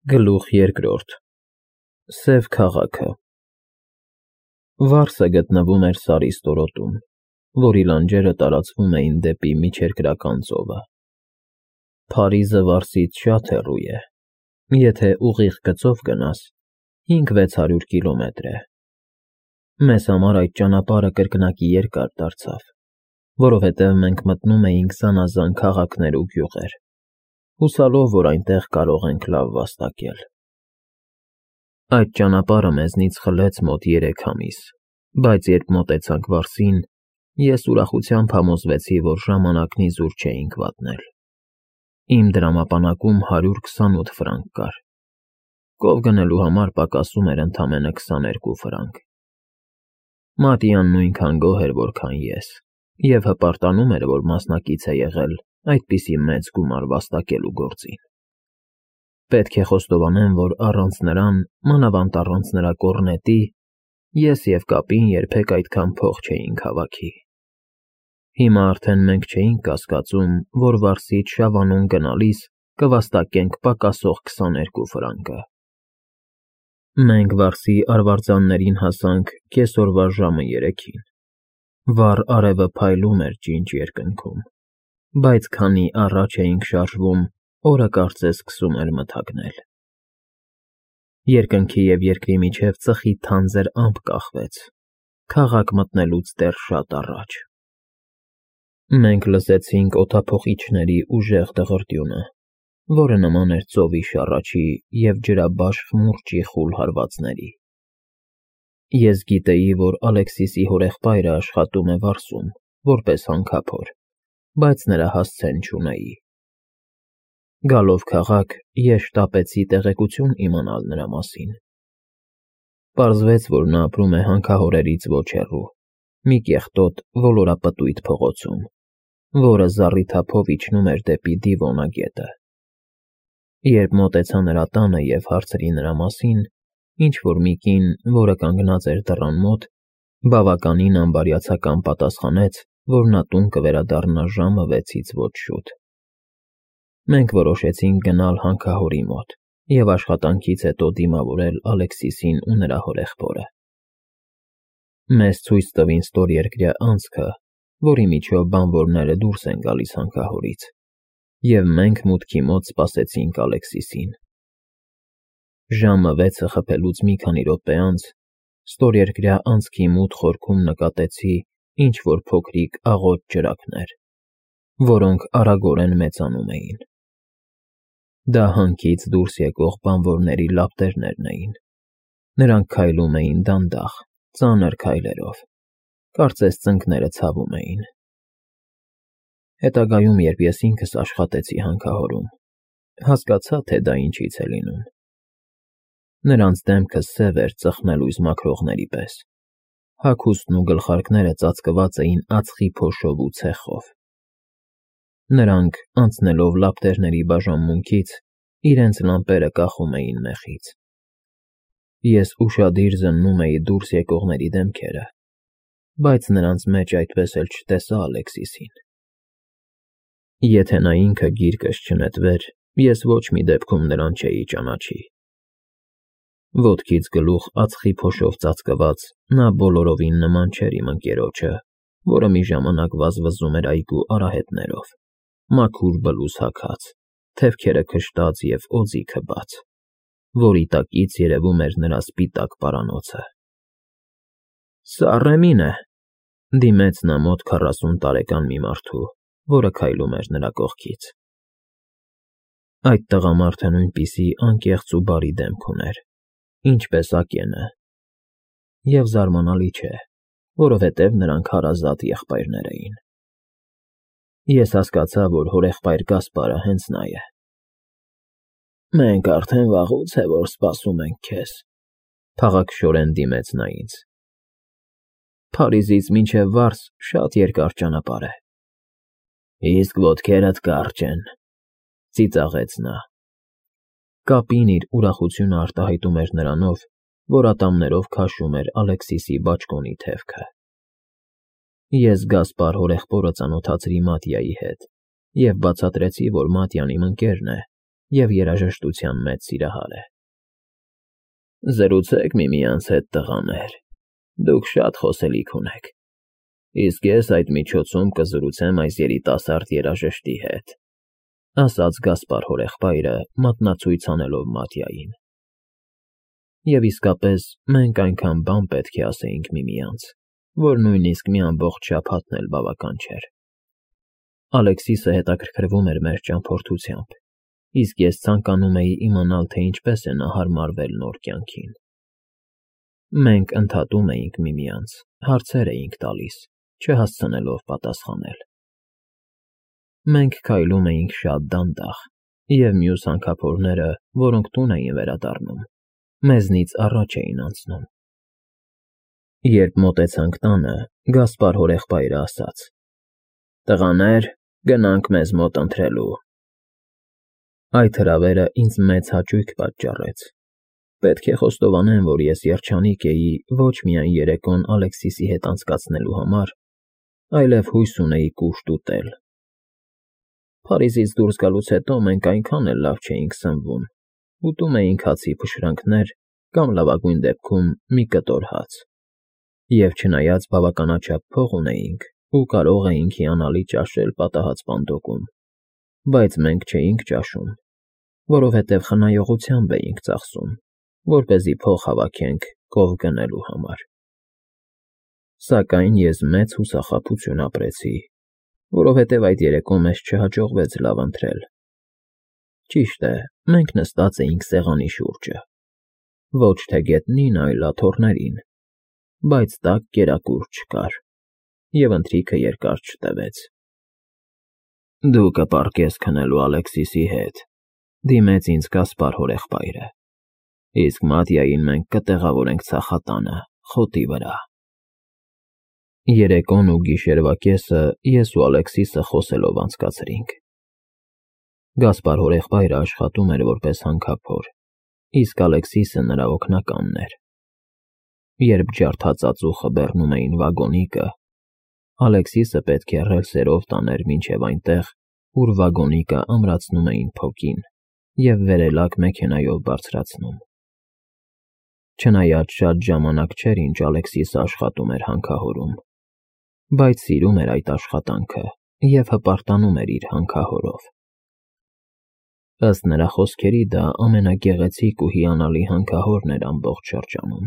Գլուխ երկրորդ Սև քաղաքը Վարսը գտնվում էր Սարի ստորոտում, որի լանջերը տարածվում էին դեպի Միջերկրական ծովը։ Փարիզը Վարսից շատ հեռու է, եթե ուղիղ գծով գնաս, 500-600 կիլոմետր է։ Մեզ համար այդ ճանապարհը կրկնակի երկար դարձավ, որովհետև մենք մտնում էինք զանազան քաղաքներ ու գյուղեր, հուսալով, որ այնտեղ կարող ենք լավ վաստակել։ Այդ ճանապարհը մեզնից խլեց մոտ 3 ամիս, բայց երբ մոտեցանք Վարսին, ես ուրախությամբ համոզվեցի, որ ժամանակն իզուր չէինք վատնել։ Իմ դրամապանակում 128 ֆրանկ կար։ Կով գնելու համար պակասում էր ընդամենը 22 ֆրանկ։ Մատյան նույնքան գոհ էր, որքան ես, և հպարտանում էր, որ մասնակից է եղել այդպիսի մեծ գումար վաստակելու գործին։ Պետք է խոստովանեմ, որ առանց նրան, մանավանդ առանց նրա կոռնետի, ես և կապին երբեք այդքան փող չէինք հավաքի։ Հիմա արդեն մենք չէինք կասկածում, որ Վարսից Շավանոն գնալիս կվաստակենք պակասող 22 ֆրանկը։ Մենք Վարսի արվարձաններին հասանք կեսօրվա ժամը 3-ին։ Վառ արևը փայլում էր ջինջ երկնքում, բայց քանի առաջ էինք շարժվում, օրը կարծես սկսում էր մթագնել։ Երկնքի և երկրի միջև ծխի թանձր ամպ կախվեց, քաղաք մտնելուց դեռ շատ առաջ։ Մենք լսեցինք օդափոխիչների ուժեղ դղրդյունը, որը նման էր ծովի շառաչի և ջրաբաշխ մուրճի խուլ հարվածների։ Ես գիտեի, որ Ալեքսիսի հորեղբայրը աշխատում է Վարսում, որպես հանքափոր, բայց նրա հասցեն չունեի։ Գալով քաղաք, ես շտապեցի տեղեկություն իմանալ նրա մասին։ Պարզվեց, որ նա ապրում է հանքահորերից ոչ հեռու, մի կեղտոտ ոլորապտույտ փողոցում, որը զառիթափով իջնում էր դեպի Դիվոնա գետը։ Երբ մոտեցա նրա տանը և հարցրի նրա մասին, ինչ-որ մի կին, որը կանգնած էր դռան մոտ, բավականին անբարյացակամ պատասխանեց, որ նա տուն կվերադառնա ժամը 6-ից ոչ շուտ։ Մենք որոշեցինք գնալ հանքահորի մոտ և աշխատանքից հետո դիմավորել Ալեքսիսին ու նրա հորեղբորը։ Մեզ ցույց տվին ստորերկրյա անցքը, որի միջով բանվորները դուրս են գալիս հանքահորից, և մենք մուտքի մոտ սպասեցինք Ալեքսիսին։ Ժամը 6-ը խփելուց մի քանի րոպե անց ստորերկրյա անցքի մութ խորքում նկատեցի ինչ-որ փոքրիկ աղոտ ջրակներ, որոնք արագորեն մեծանում էին։ Դա հանքից դուրս եկող բանվորների լապտերներն էին։ Նրանք քայլում էին դանդաղ, ծանր քայլերով, կարծես ծնկները ցավում էին։ Հետագայում, երբ ես ինքս աշխատեցի հանքահորում, հասկացա, թե դա ինչից է լինում։ Նրանց դեմքը սև էր ծխնելույս մաքրողների պես, հագուստն ու գլխարկները ծածկված էին ածխի փոշով ու ցեխով։ Նրանք, անցնելով լապտերների բաժանմունքից, իրենց լամպերը կախում էին մեխից։ Ես ուշադիր զննում էի դուրս եկողների դեմքերը, բայց նրանց մեջ այդպես էլ չտեսա Ալեքսիսին։ Եթե նա ինքը գիրկս չնետվեր, ես ոչ մի դեպքում նրան չէի ճանաչի։ Ոտքից գլուխ ածխի փոշով ծածկված, նա բոլորովին նման չէր իմ ընկերոջը, որը մի ժամանակ վազվզում էր այգու արահետներով, մաքուր բլուզ հագած, թևքերը քշտած և օձիքը բաց, որի տակից երևում էր նրա սպիտակ պարանոցը։ Սա Ռեմին է, դիմեց նա մոտ 40 տարեկան մի մարդու, որը քայլում էր նրա կողքից։ Այդ տղամարդը նույնպիսի անկեղծ ու բարի դեմք ուներ, ինչպես Ակենը, և զարմանալի չէ, որովհետև նրանք հարազատ եղբայրներ էին։ Ես հասկացա, որ հորեղբայր Գասպարը հենց նա է։ Մենք արդեն վաղուց է, որ սպասում ենք քեզ, փաղաքշորեն դիմեց նա ինձ։ Փարիզից մինչև Վարս շատ երկար ճանապարհ է։ Իսկ ոտքերդ կարճ են, ծիծաղեց նա։ Կապին իր ուրախությունը արտահայտում էր նրանով, որ ատամներով քաշում էր Ալեքսիսի բաճկոնի թևքը։ Ես Գասպար հորեղբորը ծանոթացրի Մատյայի հետ և բացատրեցի, որ Մատյան իմ ընկերն է, և երաժշտության մեծ սիրահար է։ Զրուցեք միմյանց հետ, տղաներ, դուք շատ խոսելիք ունեք, իսկ ես այդ միջոցում կզրուցեմ այս երիտասարդ երաժշտի հետ, ասաց Գասպար հորեղբայրը, մատնացույց անելով Մատյային։ Եվ իսկապես մենք այնքան բան պետք է ասեինք միմյանց, որ նույնիսկ մի ամբողջ շաբաթն էլ բավական չէր։ Ալեքսիսը հետաքրքրվում էր մեր ճամփորդությամբ, իսկ ես ցանկանում էի իմանալ, թե ինչպես է նա հարմարվել նոր կյանքին։ Մենք ընդհատում էինք միմյանց, հարցեր էինք տալիս, չհասցնելով պատասխանել։ Մենք քայլում էինք շատ դանդաղ, և մյուս հանքափորները, որոնք տուն էին վերադառնում, մեզնից առաջ էին անցնում։ Երբ մոտեցանք տանը, Գասպար հորեղբայրը ասաց. «Տղաներ, գնանք մեզ մոտ ընթրելու»։ Այդ հրավերը ինձ մեծ հաճույք պատճառեց։ Պետք է խոստովանեմ, որ ես երջանիկ էի ոչ միայն երեկոն Ալեքսիսի հետ անցկացնելու համար, այլև հույս ունեի կուշտ ուտել։ Փարիզից դուրս գալուց հետո մենք այնքան էլ լավ չէինք սնվում, ուտում էինք հացի փշրանքներ կամ լավագույն դեպքում մի կտոր հաց։ Եվ չնայած բավականաչափ փող ունեինք ու կարող էինք հիանալի ճաշել պատահած պանդոկում, բայց մենք չէինք ճաշում, որովհետև խնայողությամբ էինք ծախսում, որպեսզի փող հավաքենք կով գնելու համար։ Սակայն ես մեծ հուսախաբություն ապրեցի, որովհետև այդ երեկո մեզ չհաջողվեց լավ ընթրել։ Ճիշտ է, մենք նստած էինք սեղանի շուրջը, ոչ թե գետնին, այլ աթոռներին, բայց տաք կերակուր չկար, և ընթրիքը երկար չտևեց։ Դու կպառկես քնելու Ալեքսիսի հետ, դիմեց ինձ Գասպար հորեղբայրը, իսկ Մատյային մենք կտեղավորենք ցախատանը, խոտի վրա։ Երեկոն ու գիշերվա կեսը ես ու Ալեքսիսը խոսելով անցկացրինք։ Գասպար հորեղբայրը աշխատում էր որպես հանքափոր, իսկ Ալեքսիսը նրա օգնականն էր։ Երբ ջարդած ածուխը բեռնում էին վագոնիկը, Ալեքսիսը պետք է ռելսերով տաներ մինչև այնտեղ, ուր վագոնիկը ամրացնում էին փոկին և վերելակ մեքենայով բարձրացնում։ Չնայած շատ ժամանակ չէր, ինչ Ալեքսիսը աշխատում էր հանքահորում, բայց սիրում էր այդ աշխատանքը և հպարտանում էր իր հանքահորով։ Ըստ նրա խոսքերի, դա ամենագեղեցիկ ու հիանալի հանքահորն էր ամբողջ շրջանում։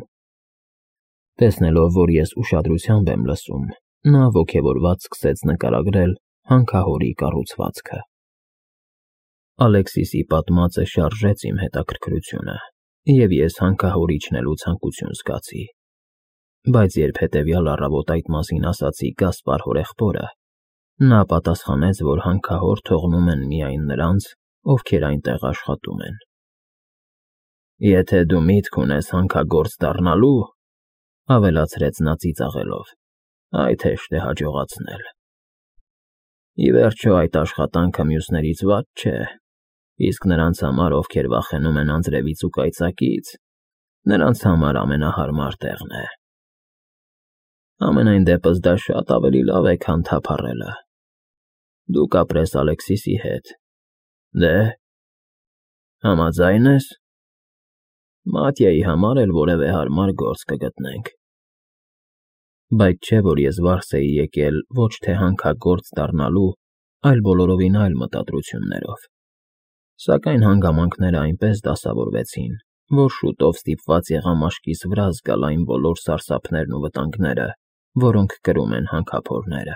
Տեսնելով, որ ես ուշադրությամբ եմ լսում, նա ոգևորված սկսեց նկարագրել հանքահորի կառուցվածքը։ Ալեքսիսի պատմածը շարժեց իմ հետաքրքրությունը, և ես հանքահոր իջնելու ցանկություն զգացի։ Բայց երբ հետևյալ առավոտ այդ մասին ասացի Գասպար հորեղբորը, նա պատասխանեց, որ հանքահոր թողնում են միայն նրանց, ովքեր այնտեղ աշխատում են։ Եթե դու միտք ունես հանքագործ դառնալու, ավելացրեց նա ծիծաղելով, այդ հեշտ է հաջողացնել։ Ի վերջո այդ աշխատանքը մյուսներից վատ չէ, իսկ նրանց համար, ովքեր վախենում են անձրևից ու կայծակից, նրանց համար ամենահարմար տեղն է։ Համենայն դեպս դա շատ ավելի լավ է, քան թափառելը։ Դու կապրես Ալեքսիսի հետ։ Դե, համաձայն ես։ Մատյայի համար էլ որևէ հարմար գործ կգտնենք։ Բայց չէ, որ ես վարձ էի եկել ոչ թե հանքագործ դառնալու, այլ բոլորովին այլ մտադրություններով։ Սակայն հանգամանքները այնպես դասավորվեցին, որ շուտով ստիպված եղա մաշկիս վրա զգալ այն բոլոր սարսափներն ու վտանգները, որոնք կրում են հանքափորները։